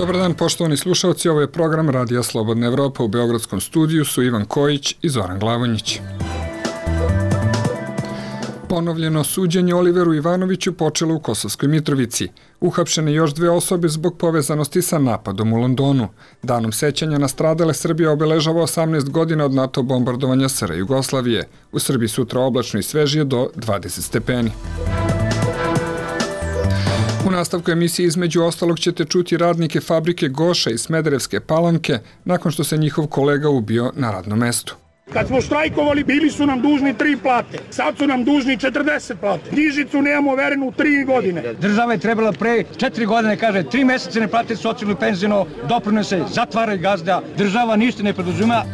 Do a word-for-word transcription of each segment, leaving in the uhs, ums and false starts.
Dobar dan, poštovani slušalci, ovo je program Radija Slobodna Evropa. U Beogradskom studiju su Ivan Kojić i Zoran Glavonjić. Ponovljeno suđenje Oliveru Ivanoviću počelo u Kosovskoj Mitrovici. Uhapšene još dve osobe zbog povezanosti sa napadom u Londonu. Danom sećanja na stradale Srbija obeležava osamnaest godina od NATO bombardovanja S R Jugoslavije. U Srbiji sutra oblačno i svežije do dvadeset stepeni. U nastavku emisije između ostalog ćete čuti radnike fabrike Goša iz Smederevske Palanke nakon što se njihov kolega ubio na radnom mestu. Kad smo štrajkovali, bili su nam dužni tri plate. Sad su nam dužni četrdeset plate. Knjižicu nemamo overenu tri godine. Država je trebala pre četiri godine, kaže, tri mesece ne plate socijalno i penzijno, doprinose, zatvaraju gazda. Država ništa ne preduzima.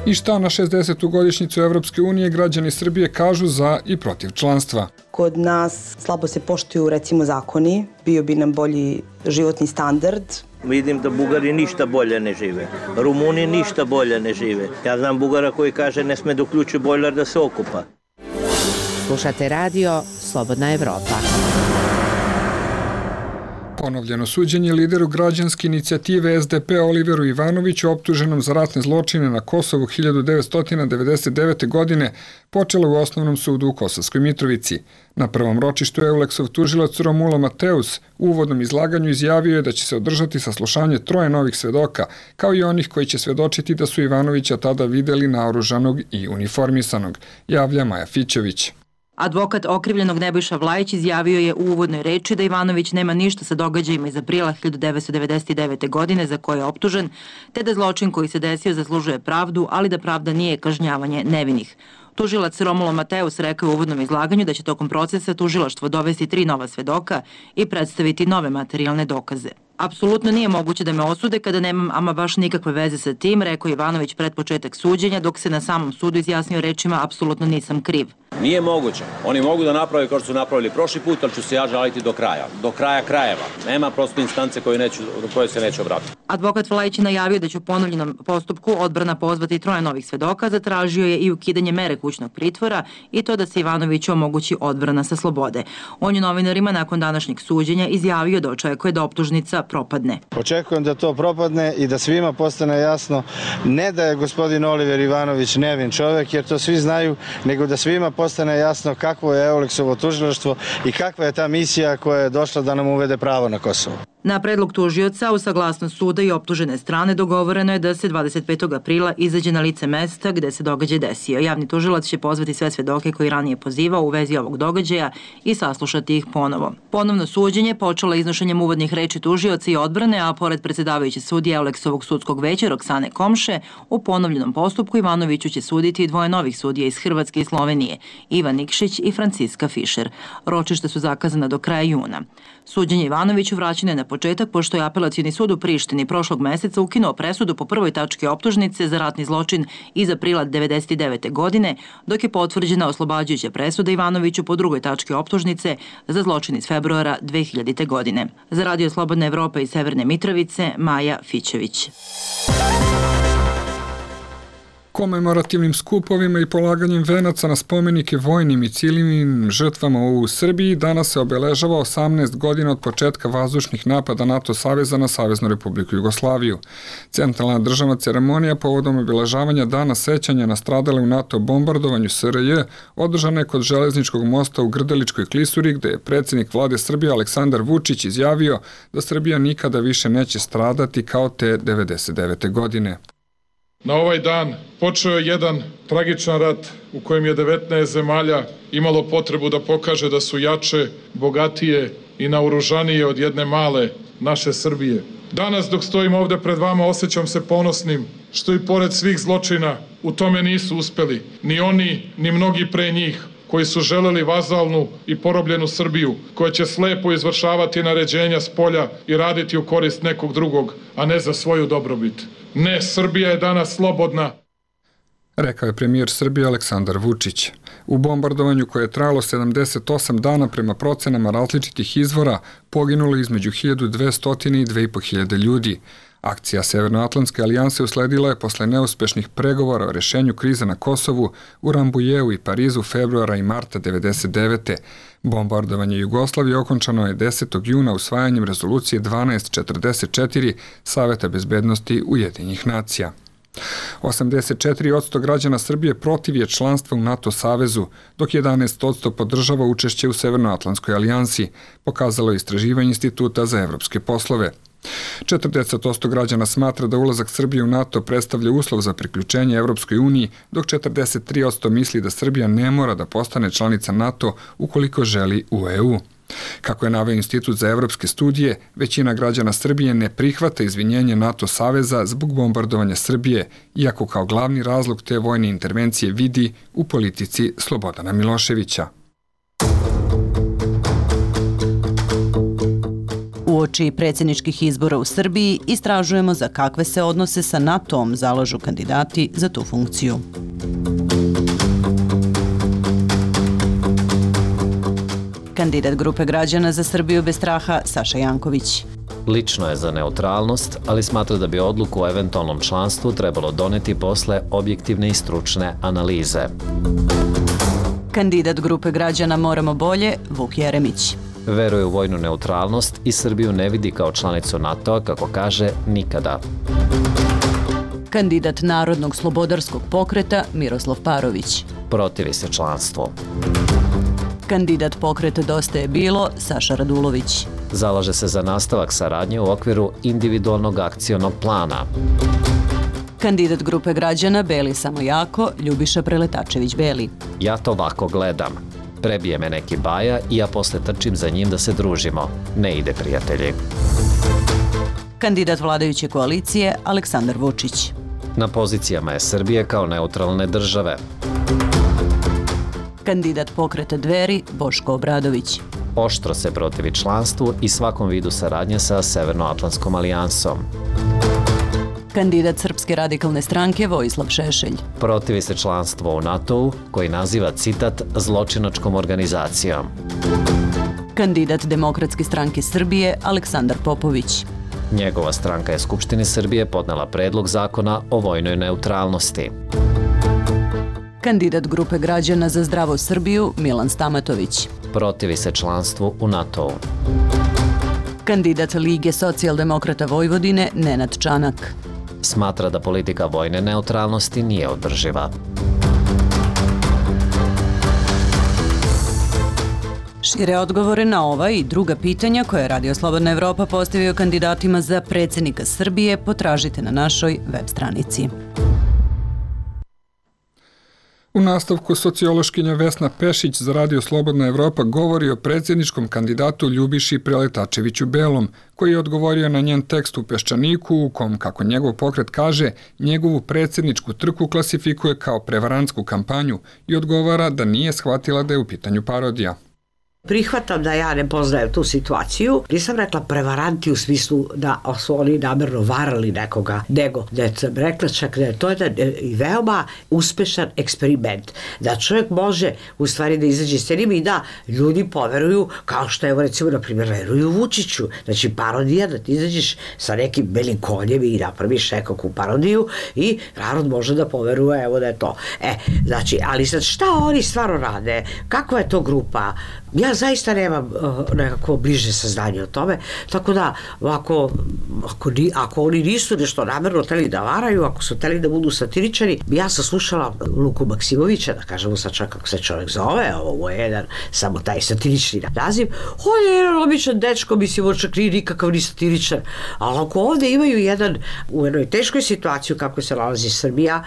I šta na šezdesetu godišnjicu Evropske unije građani Srbije kažu za i protiv članstva? Kod nas slabo se poštuju, recimo, zakoni. Bio bi nam bolji životni standard. Vidim da Bugari ništa bolje ne žive. Rumuni ništa bolje ne žive. Ja znam Bugara koji kaže ne sme da uključi bojler da se okupa. Slušate radio Slobodna Evropa. Ponovljeno suđenje lideru građanske inicijative S D P Oliveru Ivanoviću, optuženom za ratne zločine na Kosovu hiljadu devetsto devedeset devete. godine, počelo u Osnovnom sudu u Kosovskoj Mitrovici. Na prvom ročištu Euleksov tužilac Romulo Mateus u uvodnom izlaganju izjavio je da će se održati saslušanje troje novih svedoka, kao i onih koji će svedočiti da su Ivanovića tada videli naoružanog i uniformisanog, javlja Maja Fićević. Advokat okrivljenog Nebojša Vlajić izjavio je u uvodnoj reči da Ivanović nema ništa sa događajima iz aprila hiljadu devetsto devedeset devete. godine za koje je optužen, te da zločin koji se desio zaslužuje pravdu, ali da pravda nije kažnjavanje nevinih. Tužilac Romulo Mateus rekao u uvodnom izlaganju da će tokom procesa tužilaštvo dovesti tri nova svedoka i predstaviti nove materijalne dokaze. Apsolutno nije moguće da me osude kada nemam ama baš nikakve veze sa tim, rekao Ivanović pred početak suđenja, dok se na samom sudu izjasnio rečima apsolutno nisam kriv. Nije moguće. Oni mogu da naprave kao što su napravili prošli put, ali ću se ja žaliti do kraja. Do kraja krajeva. Nema prosto instance koje, neću, do koje se neće obratiti. Advokat Vlajić je najavio da će u ponovljenom postupku odbrana pozvati troje novih svedoka, zatražio je i ukidanje mere kućnog pritvora i to da se Ivanoviću omogući odbrana sa slobode. On je novinarima nakon današnjeg suđenja izjavio da očekuje da optužnica propadne. Očekujem da to propadne i da svima postane jasno ne da je gospodin Oliver Ivanović nevin čovjek, jer to svi znaju, nego da svima postane jasno kakvo je Euleksovo tužilaštvo i kakva je ta misija koja je došla da nam uvede pravo na Kosovo. Na predlog tužioca, u saglasnost suda i optužene strane, dogovoreno je da se dvadeset petog aprila izađe na lice mesta gde se događaj desio. Javni tužilac će pozvati sve svedoke koji ranije pozivao u vezi ovog događaja i saslušati ih ponovo. Ponovno suđenje počelo iznošenjem uvodnih reči tužioca i odbrane, a pored predsjedavajuće sudije Euleksovog sudskog veća Roksane Komše, u ponovljenom postupku Ivanoviću će suditi dvoje novih sudija iz Hrvatske i Slovenije, Ivan Nikšić i Franciska Fišer. Ročišta su zakazana do kraja juna. Suđenje Ivanoviću vraćeno je na početak pošto je Apelacioni sud u Prištini prošlog meseca ukinuo presudu po prvoj tački optužnice za ratni zločin iz aprila devedeset devete. godine, dok je potvrđena oslobađajuća presuda Ivanoviću po drugoj tački optužnice za zločin iz februara dve hiljadite. godine. Za Radio Slobodna Evropa iz Severne Mitrovice, Maja Fićević. Komemorativnim skupovima i polaganjem venaca na spomenike vojnim i civilnim žrtvama u Srbiji danas se obeležava osamnaest godina od početka vazdušnih napada NATO saveza na Saveznu Republiku Jugoslaviju. Centralna državna ceremonija povodom obeležavanja dana sećanja na stradale u NATO bombardovanju S R J održana je kod železničkog mosta u Grdeličkoj klisuri, gde je predsjednik vlade Srbije Aleksandar Vučić izjavio da Srbija nikada više neće stradati kao te devedeset devete. godine. Na ovaj dan počeo je jedan tragičan rat u kojem je devetnaest zemalja imalo potrebu da pokaže da su jače, bogatije i naoružanije od jedne male naše Srbije. Danas dok stojim ovde pred vama osjećam se ponosnim što i pored svih zločina u tome nisu uspeli ni oni ni mnogi pre njih koji su želeli vazalnu i porobljenu Srbiju, koja će slepo izvršavati naređenja s polja i raditi u korist nekog drugog, a ne za svoju dobrobit. Ne, Srbija je danas slobodna. Rekao je premijer Srbije Aleksandar Vučić. U bombardovanju koje je trajalo sedamdeset osam dana prema procenama različitih izvora poginulo između hiljadu dvesta i dve i po hiljade ljudi, Akcija Severnoatlantske alijanse usledila je posle neuspešnih pregovora o rešenju krize na Kosovu u Rambujeu i Parizu februara i marta devedeset devete. Bombardovanje Jugoslavije okončano je desetog juna usvajanjem rezolucije dvanaest četrdeset četiri Saveta bezbednosti Ujedinjenih nacija. osamdeset četiri posto građana Srbije protiv je članstva u NATO savezu, dok jedanaest posto podržava učešće u Severnoatlantskoj alijansi, pokazalo je istraživanje Instituta za evropske poslove. četrdeset posto građana smatra da ulazak Srbije u NATO predstavlja uslov za priključenje Evropskoj uniji, dok četrdeset tri posto misli da Srbija ne mora da postane članica NATO ukoliko želi u E U. Kako je naveo Institut za evropske studije, većina građana Srbije ne prihvata izvinjenje NATO saveza zbog bombardovanja Srbije, iako kao glavni razlog te vojne intervencije vidi u politici Slobodana Miloševića. Uoči predsjedničkih izbora u Srbiji istražujemo za kakve se odnose sa NATO-om zalažu kandidati za tu funkciju. Kandidat grupe građana za Srbiju bez straha Saša Janković. Lično je za neutralnost, ali smatra da bi odluku o eventualnom članstvu trebalo doneti posle objektivne i stručne analize. Kandidat grupe građana Moramo bolje Vuk Jeremić. Veruje u vojnu neutralnost i Srbiju ne vidi kao članicu NATO-a, kako kaže, nikada. Kandidat Narodnog slobodarskog pokreta Miroslav Parović. Protivi se članstvu. Kandidat pokreta Dosta je bilo Saša Radulović. Zalaže se za nastavak saradnje u okviru individualnog akcionog plana. Kandidat grupe građana Beli samo jako Ljubiša Preletačević Beli. Ja to ovako gledam. Prebije me neki baja i ja posle trčim za njim da se družimo. Ne ide, prijatelji. Kandidat vladajuće koalicije Aleksandar Vučić. Na pozicijama je Srbije kao neutralne države. Kandidat pokreta Dveri Boško Obradović. Oštro se protivi članstvu i svakom vidu saradnje sa Severnoatlantskom alijansom. Kandidat Srpske radikalne stranke Vojislav Šešelj. Protivi se članstvo u NATO-u, koji naziva, citat, zločinačkom organizacijom. Kandidat Demokratske stranke Srbije Aleksandar Popović. Njegova stranka je Skupštini Srbije podnela predlog zakona o vojnoj neutralnosti. Kandidat grupe građana za zdravu Srbiju Milan Stamatović. Protivi se članstvu u NATO-u. Kandidat Lige socijaldemokrata Vojvodine Nenad Čanak. Smatra da politika vojne neutralnosti nije održiva. Šire odgovore na ova i druga pitanja koje je Radio Slobodna Evropa postavio kandidatima za predsjednika Srbije potražite na našoj web stranici. U nastavku sociološkinja Vesna Pešić za Radio Slobodna Evropa govori o predsjedničkom kandidatu Ljubiši Preletačeviću Belom, koji je odgovorio na njen tekst u Peščaniku u kom, kako njegov pokret kaže, njegovu predsjedničku trku klasifikuje kao prevarantsku kampanju i odgovara da nije shvatila da je u pitanju parodija. Prihvatam da ja ne poznajem tu situaciju. Nisam rekla prevaranti u smislu da su oni namerno varali nekoga, nego da sam rekla čak da je to jedan veoma uspešan eksperiment. Da čovjek može u stvari da izađe s tenim i da ljudi poveruju, kao što evo recimo na primjer veruju Vučiću. Znači parodija, da ti izađeš sa nekim belim konjem i napraviš nekakvu parodiju i narod može da poveruje evo da je to. E, znači, ali sad šta oni stvarno rade? Kakva je to grupa? Ja zaista nemam uh, nekako bliže saznanje o tome, tako da ako, ako, ako oni nisu nešto namerno hteli da varaju, ako su hteli da budu satiričari, ja sam slušala Luku Maksimovića, da kažemo sad čak kako se čovjek zove, ovo je jedan samo taj satirični naziv, on je jedan običan dečko, mislim, on čak nije nikakav ni satiričar, ali ako ovde imaju jedan, u jednoj teškoj situaciji kako se nalazi Srbija,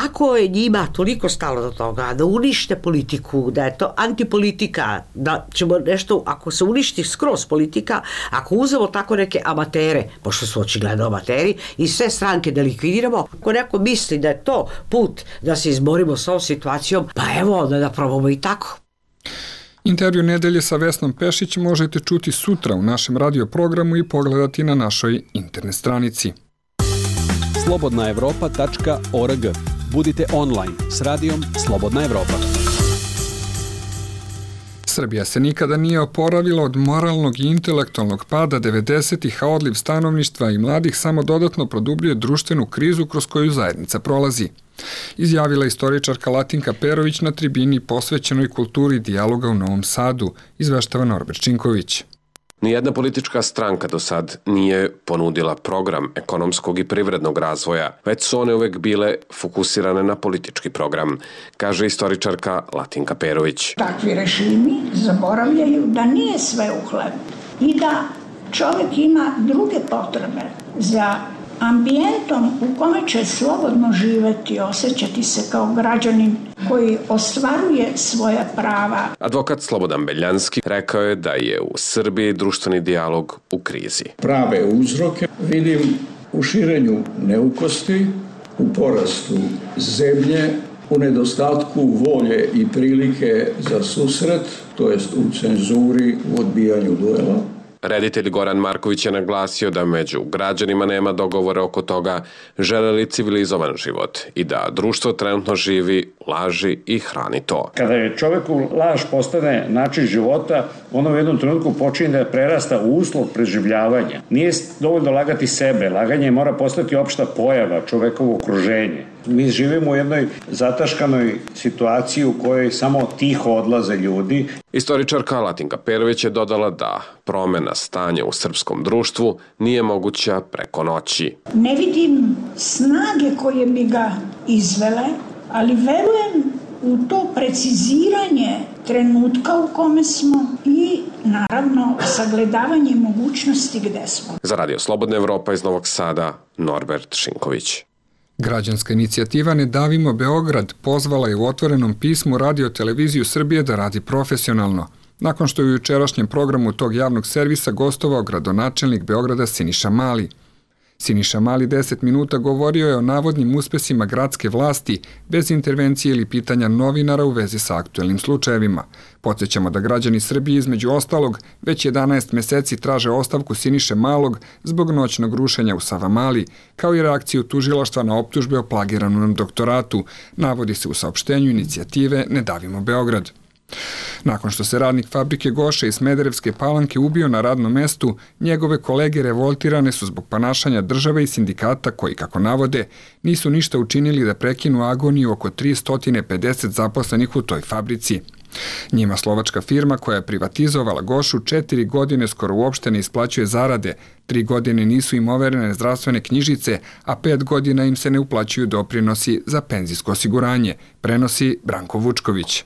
ako je njima toliko stalo do toga, da unište politiku, da je to antipolitika, da ćemo nešto, ako se uništi skroz politika, ako uzemo tako neke amatere, pošto su očigledno amateri, i sve stranke da likvidiramo, ako neko misli da je to put da se izborimo s ovom situacijom, pa evo onda da probamo i tako. Intervju nedelje sa Vesnom Pešić možete čuti sutra u našem radio programu i pogledati na našoj internet stranici. slobodna evropa tačka org. Budite online s radijom Slobodna Evropa. Srbija se nikada nije oporavila od moralnog i intelektualnog pada devedesetih, a odliv stanovništva i mladih samo dodatno produbljuje društvenu krizu kroz koju zajednica prolazi. Izjavila istoričarka Latinka Perović na tribini posvećenoj kulturi dijaloga u Novom Sadu, izveštava Norbert Činković. Nijedna politička stranka do sad nije ponudila program ekonomskog i privrednog razvoja, već su one uvek bile fokusirane na politički program, kaže istoričarka Latinka Perović. Takvi režimi zaboravljaju da nije sve u hlebu i da čovjek ima druge potrebe za ambijentom u kome će slobodno živeti, osjećati se kao građanin koji ostvaruje svoja prava. Advokat Slobodan Beljanski rekao je da je u Srbiji društveni dijalog u krizi. Prave uzroke vidim u širenju neukosti, u porastu zemlje, u nedostatku volje i prilike za susret, to jest u cenzuri, u odbijanju duela. Reditelj Goran Marković je naglasio da među građanima nema dogovora oko toga žele li civilizovan život i da društvo trenutno živi u laži i hrani to. Kada je čoveku laž postane način života, ono u jednom trenutku počinje da prerasta u uslov preživljavanja. Nije dovoljno lagati sebe, laganje mora postati opšta pojava, čovekovo okruženje. Mi živimo u jednoj zataškanoj situaciji u kojoj samo tiho odlaze ljudi. Istoričarka Latinka Perović je dodala da promena stanja u srpskom društvu nije moguća preko noći. Ne vidim snage koje bi ga izvele, ali verujem u to preciziranje trenutka u kome smo i naravno sagledavanje mogućnosti gde smo. Za Radio Slobodna Evropa iz Novog Sada, Norbert Šinković. Građanska inicijativa Ne davimo Beograd pozvala je u otvorenom pismu Radio Televiziju Srbije da radi profesionalno, nakon što je u jučerašnjem programu tog javnog servisa gostovao gradonačelnik Beograda Siniša Mali. Siniša Mali deset minuta govorio je o navodnim uspesima gradske vlasti bez intervencije ili pitanja novinara u vezi sa aktuelnim slučajevima. Podsjećamo da građani Srbije između ostalog već jedanaest meseci traže ostavku Siniše Malog zbog noćnog rušenja u Savamali, kao i reakciju tužilaštva na optužbe o plagiranom doktoratu, navodi se u saopštenju inicijative Ne davimo Beograd. Nakon što se radnik fabrike Goše iz Smederevske Palanke ubio na radnom mestu, njegove kolege revoltirane su zbog ponašanja države i sindikata koji, kako navode, nisu ništa učinili da prekinu agoniju oko tristo pedeset zaposlenih u toj fabrici. Njima slovačka firma koja je privatizovala Gošu četiri godine skoro uopšte ne isplaćuje zarade, tri godine nisu im overene zdravstvene knjižice, a pet godina im se ne uplaćuju doprinosi za penzijsko osiguranje, prenosi Branko Vučković.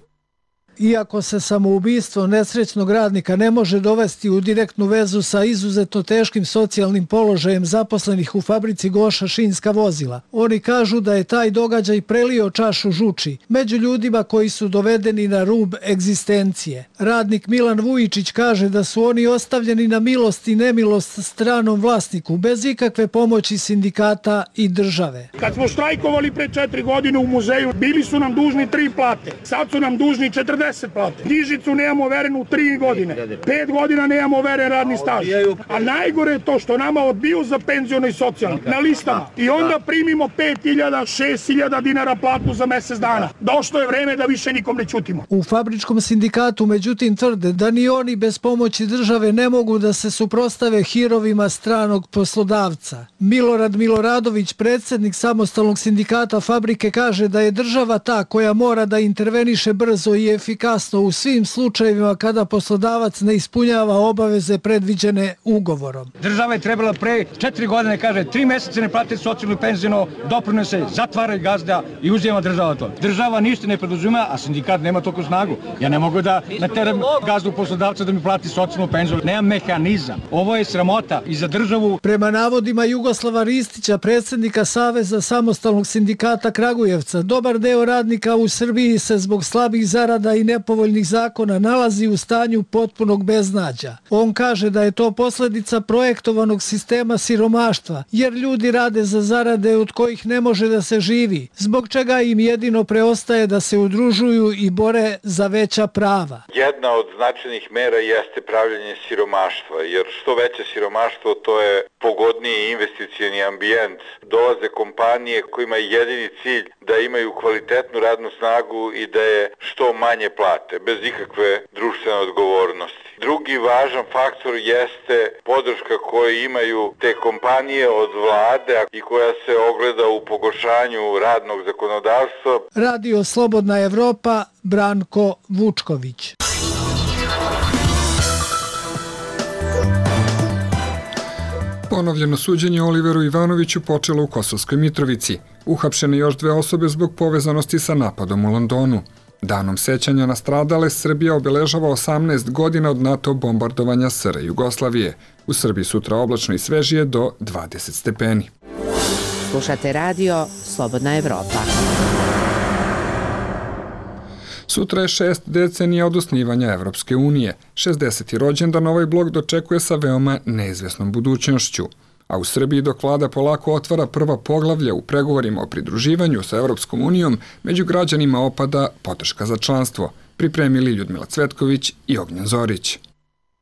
Iako se samoubistvo nesrećnog radnika ne može dovesti u direktnu vezu sa izuzetno teškim socijalnim položajem zaposlenih u fabrici Goša šinska vozila, oni kažu da je taj događaj prelio čašu žuči među ljudima koji su dovedeni na rub egzistencije. Radnik Milan Vujičić kaže da su oni ostavljeni na milost i nemilost stranom vlasniku, bez ikakve pomoći sindikata i države. Kad smo štrajkovali pre četiri godine u muzeju, bili su nam dužni tri plate, sad su nam dužni četrdeset plate. Knjižicu nemamo overenu tri godine. Pet godina nemamo overen radni staž. A najgore je to što nama odbiju za penziono i socijalno na listama. I onda primimo pet hiljada, šest hiljada dinara platu za mesec dana. Došlo je vreme da više nikom ne ćutimo. U fabričkom sindikatu međutim tvrde da ni oni bez pomoći države ne mogu da se suprostave hirovima stranog poslodavca. Milorad Miloradović, predsjednik samostalnog sindikata fabrike, kaže da je država ta koja mora da interveniše brzo i efikasno kasno u svim slučajevima kada poslodavac ne ispunjava obaveze predviđene ugovorom. Država je trebala pre četiri godine, kaže, tri meseca ne plate socijalno penzijno, doprinose, zatvara i gazda i uzima država to. Država ništa ne preduzima, a sindikat nema toliko snagu. Ja ne mogu da nateram gazdu poslodavca da mi plati socijalnu penziju. Nemam mehanizam. Ovo je sramota i za državu. Prema navodima Jugoslava Ristića, predsjednika Saveza samostalnog sindikata Kragujevca, dobar deo radnika u Srbiji se zbog slabih zarada i nepovoljnih zakona nalazi u stanju potpunog beznađa. On kaže da je to posljedica projektovanog sistema siromaštva, jer ljudi rade za zarade od kojih ne može da se živi, zbog čega im jedino preostaje da se udružuju i bore za veća prava. Jedna od značajnih mera jeste pravljenje siromaštva, jer što veće siromaštvo, to je pogodniji investicioni ambijent. Dolaze kompanije kojima je jedini cilj da imaju kvalitetnu radnu snagu i da je što manje plate, bez ikakve društvene odgovornosti. Drugi važan faktor jeste podrška koju imaju te kompanije od vlade i koja se ogleda u pogoršanju radnog zakonodavstva. Radio Slobodna Evropa, Branko Vučković. Ponovljeno suđenje Oliveru Ivanoviću počelo u Kosovskoj Mitrovici. Uhapšene još dve osobe zbog povezanosti sa napadom u Londonu. Danom sećanja na stradale Srbija obeležava osamnaest godina od NATO bombardovanja S R Jugoslavije. U Srbiji sutra oblačno i svežije do dvadeset stepeni. Slušate radio Slobodna Evropa. Sutra je šest decenija od osnivanja Evropske unije. šezdeseti rođendan ovaj blok dočekuje sa veoma neizvesnom budućnošću. A u Srbiji dok vlada polako otvara prva poglavlja u pregovorima o pridruživanju sa Evropskom unijom, među građanima opada podrška za članstvo. Pripremili Ljudmila Cvetković i Ognjen Zorić.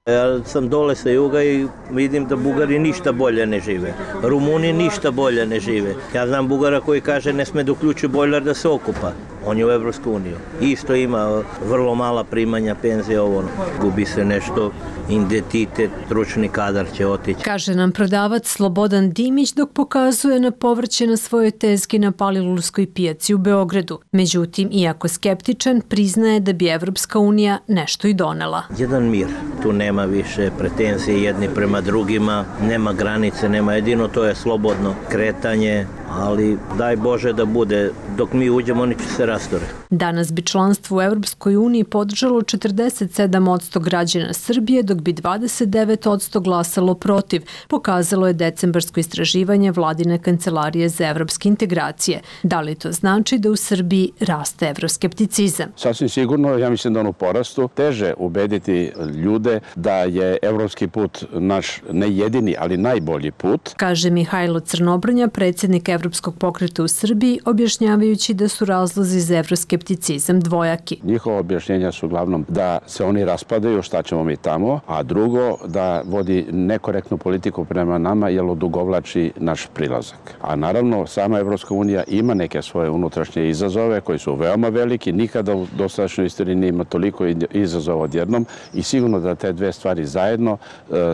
Ja sam dole sa juga i vidim da Bugari ništa bolje ne žive. Rumuni ništa bolje ne žive. Ja znam Bugara koji kaže ne sme da uključi bojler da se okupa. On je u Evropsku uniju. Isto ima vrlo mala primanja, penzije, ovo. Gubi se nešto, identitet, stručni kadar će otići. Kaže nam prodavac Slobodan Dimić dok pokazuje na povrće na svojoj tezgi na Palilulskoj pijaci u Beogradu. Međutim, iako skeptičan, priznaje da bi Evropska unija nešto i donela. Jedan mir. Tu nema više pretenzije jedni prema drugima, nema granice, nema jedino, to je slobodno kretanje, ali daj Bože da bude, dok mi uđemo oni će se rastore. Danas bi članstvo u Evropskoj uniji podržalo četrdeset sedam posto građana Srbije, dok bi dvadeset devet posto glasalo protiv, pokazalo je decembarsko istraživanje Vladine kancelarije za evropske integracije. Da li to znači da u Srbiji raste evroskepticizam? Sasvim sigurno, ja mislim da on u porastu. Teže ubediti ljude da je evropski put naš ne jedini, ali najbolji put. Kaže Mihajlo Crnobrnja, predsjednik Evropskog pokreta u Srbiji, objašnjavajući da su razlozi za evroskepticizam dvojaki. Njihova objašnjenja su uglavnom da se oni raspadaju, šta ćemo mi tamo, a drugo da vodi nekorektnu politiku prema nama jer odugovlači naš prilazak. A naravno, sama Evropska unija ima neke svoje unutrašnje izazove koji su veoma veliki, nikada u dosadašnjoj istoriji nije ima toliko izazova odjednom i sigurno da te dve stvari zajedno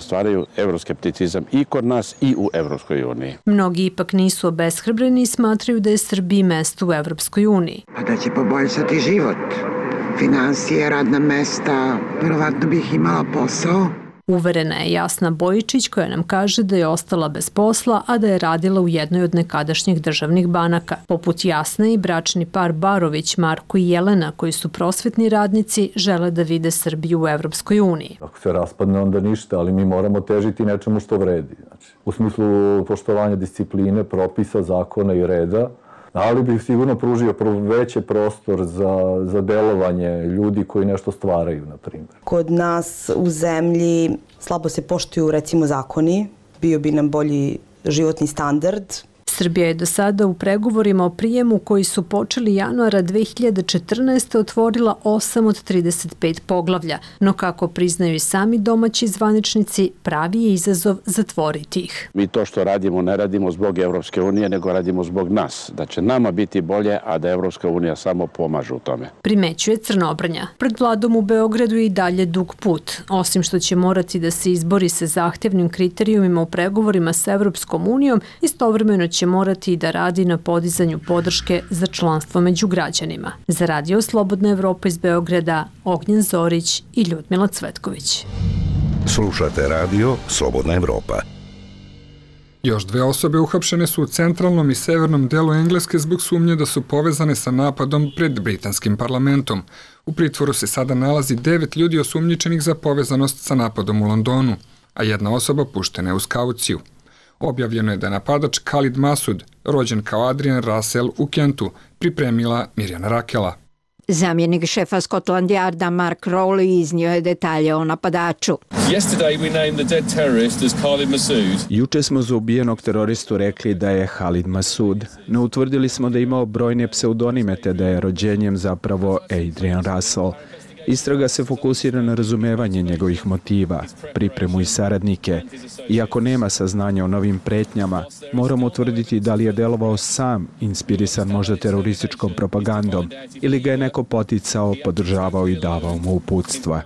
stvaraju evroskepticizam i kod nas i u Evropskoj uniji. Mnogi ipak nisu obeshrabreni i smatraju da je Srbiji mesto u Evropskoj uniji. Pa da će poboljšati život, finansije, radna mesta, verovatno bih imala posao. Uverena je Jasna Bojičić koja nam kaže da je ostala bez posla, a da je radila u jednoj od nekadašnjih državnih banaka. Poput Jasne i bračni par Barović, Marko i Jelena, koji su prosvetni radnici, žele da vide Srbiju u Evropskoj uniji. Ako se raspadne, onda ništa, ali mi moramo težiti nečemu što vredi. Znači, u smislu poštovanja discipline, propisa, zakona i reda, ali bih sigurno pružio veći prostor za, za delovanje ljudi koji nešto stvaraju, na primjer. Kod nas u zemlji slabo se poštuju, recimo, zakoni. Bio bi nam bolji životni standard. Srbija je do sada u pregovorima o prijemu koji su počeli januara dve hiljade četrnaeste. otvorila osam od trideset pet poglavlja, no kako priznaju i sami domaći zvaničnici, pravi je izazov zatvoriti ih. Mi to što radimo ne radimo zbog Evropske unije, nego radimo zbog nas. Da će nama biti bolje, a da Evropska unija samo pomaže u tome. Primećuje Crnobrnja. Pred vladom u Beogradu je i dalje dug put. Osim što će morati da se izbori sa zahtevnim kriterijumima u pregovorima sa Evropskom unijom, istovremeno će morati i da radi na podizanju podrške za članstvo među građanima. Za radio Slobodna Evropa iz Beograda, Ognjen Zorić i Ljudmila Cvetković. Slušate radio Slobodna Evropa. Još dve osobe uhapšene su u centralnom i severnom delu Engleske zbog sumnje da su povezane sa napadom pred britanskim parlamentom. U pritvoru se sada nalazi devet ljudi osumnjičenih za povezanost sa napadom u Londonu, a jedna osoba puštena je uz kauciju. Objavljeno je da je napadač Khalid Masud, rođen kao Adrian Russell u Kentu, pripremila Mirjana Rakela. Zamjenik šefa Scotland Yarda Mark Rowley iznio je detalje o napadaču. Juče smo za ubijenog teroristu rekli da je Khalid Masud, no utvrdili smo da je imao brojne pseudonime te da je rođenjem zapravo Adrian Russell. Istraga se fokusira na razumevanje njegovih motiva, pripremu i saradnike. Iako nema saznanja o novim pretnjama, moramo utvrditi da li je delovao sam, inspirisan možda terorističkom propagandom, ili ga je neko poticao, podržavao i davao mu uputstva.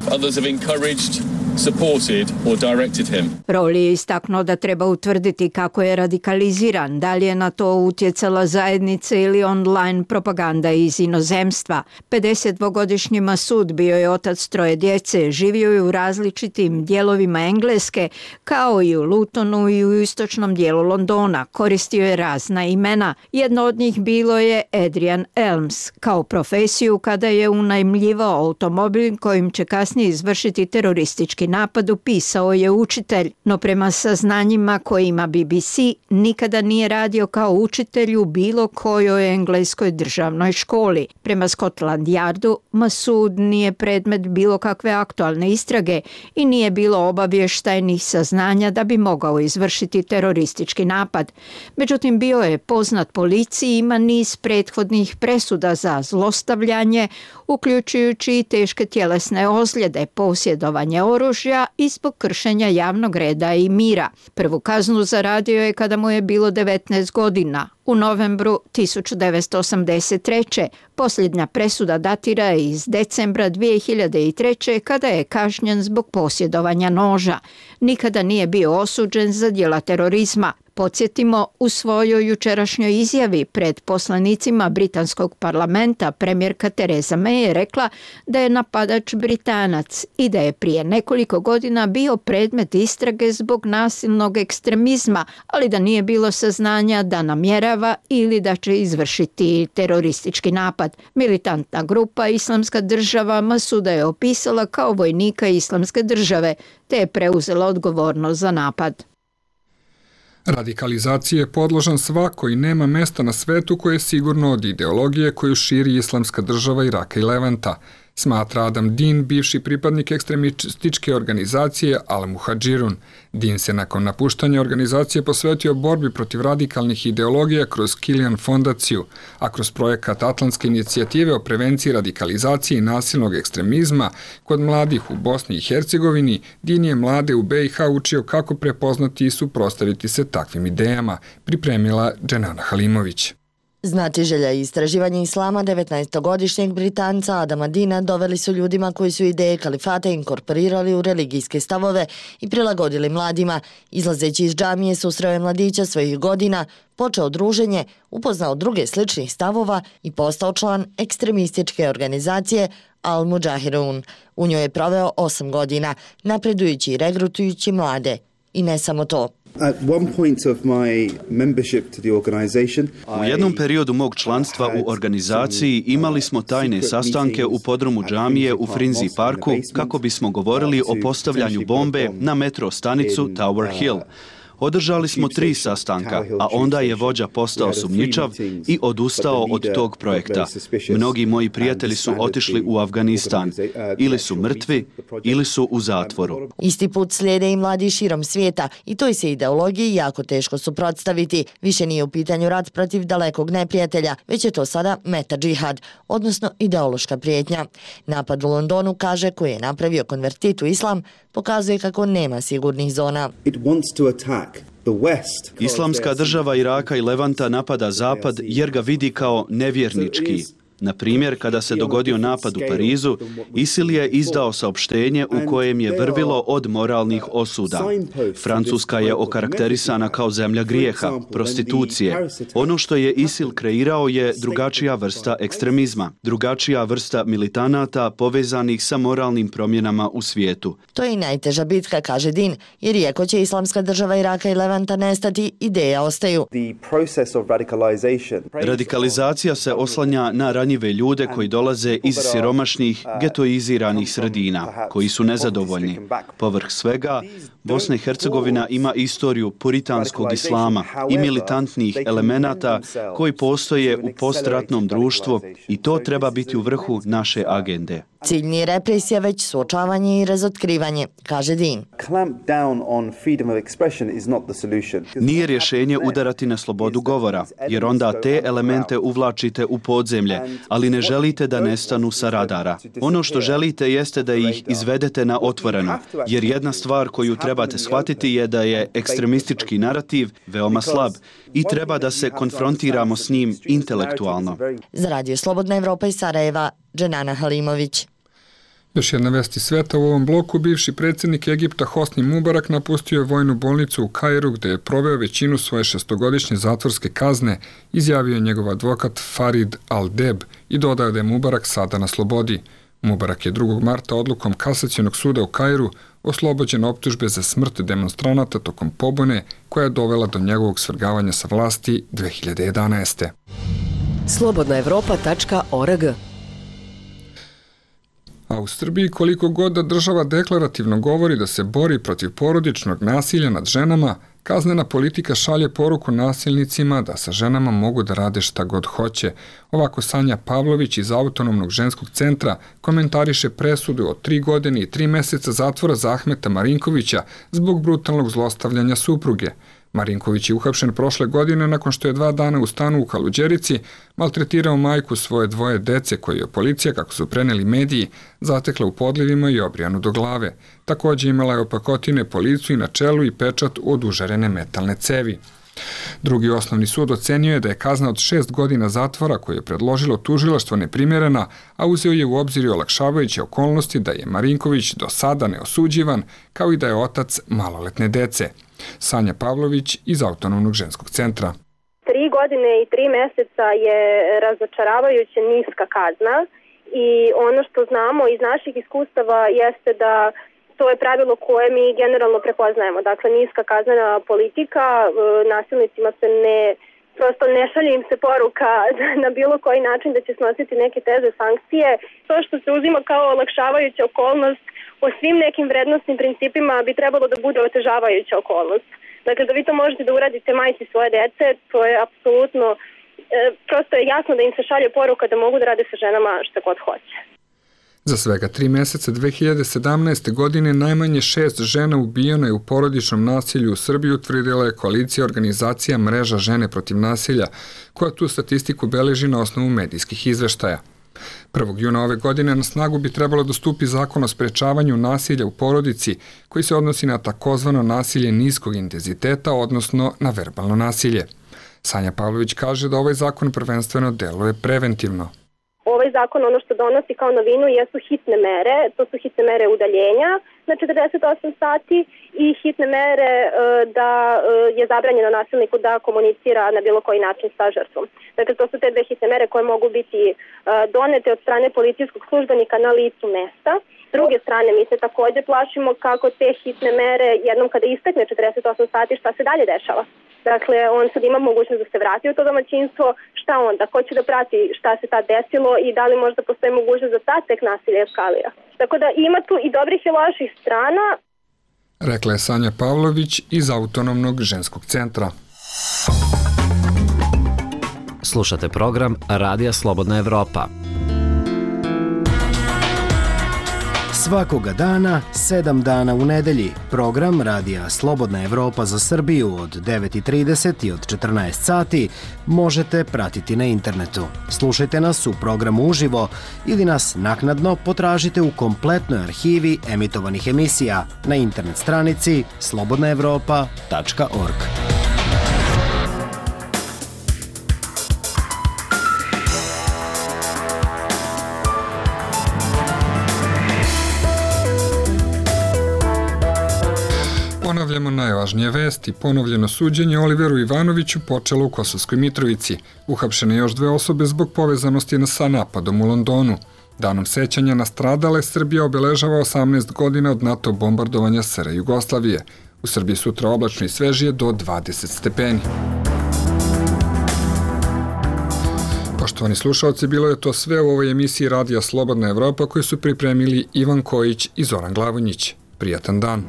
Rowley je istaknuo da treba utvrditi kako je radikaliziran, da li je na to utjecala zajednica ili online propaganda iz inozemstva. pedesetdvogodišnji Masud bio je otac troje djece, živio je u različitim dijelovima Engleske, kao i u Lutonu i u istočnom dijelu Londona. Koristio je razna imena. Jedno od njih bilo je Adrian Elms. Kao profesiju, kada je unajmljivao automobil kojim će kasnije izvršiti teroristički napad, upisao je učitelj. No prema saznanjima koje ima B B C, nikada nije radio kao učitelj u bilo kojoj engleskoj državnoj školi. Prema Scotland Yardu, Masud nije predmet bilo kakve aktualne istrage i nije bilo obavještajnih saznanja da bi mogao izvršiti teroristički napad. Međutim, bio je poznat policiji i ima niz prethodnih presuda za zlostavljanje, uključujući i teške tjelesne ozljede, posjedovanje oružja i zbog kršenja javnog reda i mira. Prvu kaznu zaradio je kada mu je bilo devetnaest godina. U novembru tisuću devetsto osamdeset treće. Posljednja presuda datira iz decembra dvije hiljade treće. kada je kažnjen zbog posjedovanja noža. Nikada nije bio osuđen za djela terorizma. Podsjetimo, u svojoj jučerašnjoj izjavi pred poslanicima britanskog parlamenta premijerka Theresa May je rekla da je napadač Britanac i da je prije nekoliko godina bio predmet istrage zbog nasilnog ekstremizma, ali da nije bilo saznanja da namjerava ili da će izvršiti teroristički napad. Militantna grupa Islamska država Masuda je opisala kao vojnika Islamske države, te je preuzela odgovornost za napad. Radikalizacija je podložan svako i nema mesta na svetu koje je sigurno od ideologije koju širi Islamska država Iraka i Levanta, smatra Adam Dean, bivši pripadnik ekstremističke organizacije Al-Muhadžirun. Dean se nakon napuštanja organizacije posvetio borbi protiv radikalnih ideologija kroz Kilian fondaciju, a kroz projekat Atlantske inicijative o prevenciji radikalizacije i nasilnog ekstremizma kod mladih u Bosni i Hercegovini, Dean je mlade u B i H učio kako prepoznati i suprotstaviti se takvim idejama, pripremila Dženana Halimović. Znatiželja i istraživanje islama devetnaestogodišnjeg Britanca Adama Deana doveli su ljudima koji su ideje kalifata inkorporirali u religijske stavove i prilagodili mladima. Izlazeći iz džamije susreo je mladića svojih godina, počeo druženje, upoznao druge sličnih stavova i postao član ekstremističke organizacije Al-Mujahirun. U njoj je proveo osam godina, napredujući i regrutujući mlade. I ne samo to. U jednom periodu mog članstva u organizaciji imali smo tajne sastanke u podrumu džamije u Frinzi parku kako bismo govorili o postavljanju bombe na metro stanicu Tower Hill. Održali smo tri sastanka, a onda je vođa postao sumnjičav i odustao od tog projekta. Mnogi moji prijatelji su otišli u Afganistan. Ili su mrtvi, ili su u zatvoru. Isti put slijede i mladi širom svijeta i toj se ideologiji jako teško suprotstaviti. Više nije u pitanju rat protiv dalekog neprijatelja, već je to sada meta džihad, odnosno ideološka prijetnja. Napad u Londonu, kaže, koji je napravio konvertit u islam, pokazuje kako nema sigurnih zona. Islamska država Iraka i Levanta napada Zapad jer ga vidi kao nevjernički. Na primjer, kada se dogodio napad u Parizu, ISIL je izdao saopštenje u kojem je vrvilo od moralnih osuda. Francuska je okarakterisana kao zemlja grijeha, prostitucije. Ono što je ISIL kreirao je drugačija vrsta ekstremizma, drugačija vrsta militanata povezanih sa moralnim promjenama u svijetu. To je i najteža bitka, kaže Dean, jer iako će Islamska država Iraka i Levanta nestati, ideje ostaju. Radikalizacija se oslanja na ranjive ljude koji dolaze iz siromašnih, getoiziranih sredina, koji su nezadovoljni. Povrh svega, Bosna i Hercegovina ima istoriju puritanskog islama i militantnih elemenata koji postoje u postratnom društvu i to treba biti u vrhu naše agende. Cilj nije represija, već suočavanje i razotkrivanje, kaže Dean. Nije rješenje udarati na slobodu govora, jer onda te elemente uvlačite u podzemlje, ali ne želite da nestanu sa radara. Ono što želite jeste da ih izvedete na otvoreno, jer jedna stvar koju trebate shvatiti je da je ekstremistički narativ veoma slab i treba da se konfrontiramo s njim intelektualno. Za Radio Slobodna Evropa iz Sarajeva, Dženana Halimović. Još jedna vest iz sveta u ovom bloku, bivši predsjednik Egipta Hosni Mubarak napustio je vojnu bolnicu u Kairu gdje je proveo većinu svoje šestogodišnje zatvorske kazne, izjavio je njegov advokat Farid Al-Deb i dodao da je Mubarak sada na slobodi. Mubarak je drugog marta odlukom Kasacionog suda u Kairu oslobođen optužbe za smrt demonstranata tokom pobune koja je dovela do njegovog svrgavanja sa vlasti dve hiljade jedanaeste. slobodna evropa tačka org. A u Srbiji koliko god da država deklarativno govori da se bori protiv porodičnog nasilja nad ženama, kaznena politika šalje poruku nasilnicima da sa ženama mogu da rade šta god hoće. Ovako Sanja Pavlović iz Autonomnog ženskog centra komentariše presudu od tri godine i tri meseca zatvora za Ahmeta Marinkovića zbog brutalnog zlostavljanja supruge. Marinković je uhapšen prošle godine nakon što je dva dana u stanu u Kaluđerici maltretirao majku svoje dvoje dece koje je policija, kako su preneli mediji, zatekla u podlivima i obrijanu do glave. Također imala je opakotine po licu i na čelu i pečat od užarene metalne cevi. Drugi osnovni sud ocenio je da je kazna od šest godina zatvora koju je predložilo tužilaštvo neprimjerena, a uzeo je u obzir i olakšavajuće okolnosti da je Marinković do sada neosuđivan, kao i da je otac maloletne dece. Sanja Pavlović iz Autonomnog ženskog centra. Tri godine i tri meseca je razočaravajuće niska kazna i ono što znamo iz naših iskustava jeste da to je pravilo koje mi generalno prepoznajemo. Dakle, niska kaznena politika, nasilnicima se ne, prosto ne šalje im se poruka na bilo koji način da će snositi neke teže sankcije. To što se uzima kao olakšavajuća okolnost po svim nekim vrednostnim principima bi trebalo da bude otežavajuća okolnost. Dakle, da vi to možete da uradite majci svoje dece, to je apsolutno, e, prosto je jasno da im se šalje poruka da mogu da rade sa ženama šta god hoće. Za svega tri meseca dve hiljade sedamnaeste. godine najmanje šest žena ubijeno je u porodičnom nasilju u Srbiji, utvrdila je koalicija organizacija Mreža žene protiv nasilja, koja tu statistiku beleži na osnovu medijskih izveštaja. prvog juna ove godine na snagu bi trebalo da stupi zakon o sprečavanju nasilja u porodici, koji se odnosi na takozvano nasilje niskog intenziteta, odnosno na verbalno nasilje. Sanja Pavlović kaže da ovaj zakon prvenstveno deluje preventivno. Ovaj zakon ono što donosi kao novinu jesu hitne mere, to su hitne mere udaljenja na četrdeset osam sati i hitne mere e, da e, je zabranjeno nasilniku da komunicira na bilo koji način sa žrtvom. Dakle, to su te dve hitne mere koje mogu biti e, donete od strane policijskog službenika na licu mesta. S druge strane, mi se također plašimo kako te hitne mere jednom kada istekne četrdeset osam sati šta se dalje dešava. Dakle, on sad ima mogućnost da se vrati u to domaćinstvo, šta onda, ko će da prati šta se tad desilo i da li možda postoji mogućnost da sad tek nasilje eskalira. Tako da ima tu i dobrih i loših strana. Rekla je Sanja Pavlović iz Autonomnog ženskog centra. Slušate program Radija Slobodna Evropa. Svakoga dana, sedam dana u nedelji, program Radija Slobodna Evropa za Srbiju od devet i trideset i od četrnaest sati možete pratiti na internetu. Slušajte nas u programu uživo ili nas naknadno potražite u kompletnoj arhivi emitovanih emisija na internet stranici slobodna evropa tačka org. Ponavljamo najvažnije vesti. Ponovljeno suđenje Oliveru Ivanoviću počelo u Kosovskoj Mitrovici. Uhapšene još dve osobe zbog povezanosti sa napadom u Londonu. Danom sećanja na stradale Srbija obeležava osamnaest godina od NATO bombardovanja S R Jugoslavije. U Srbiji sutra oblačno i svežije do dvadeset stepeni. Poštovani slušalci, bilo je to sve u ovoj emisiji Radija Slobodna Evropa koju su pripremili Ivan Kojić i Zoran Glavonjić. Prijatan dan.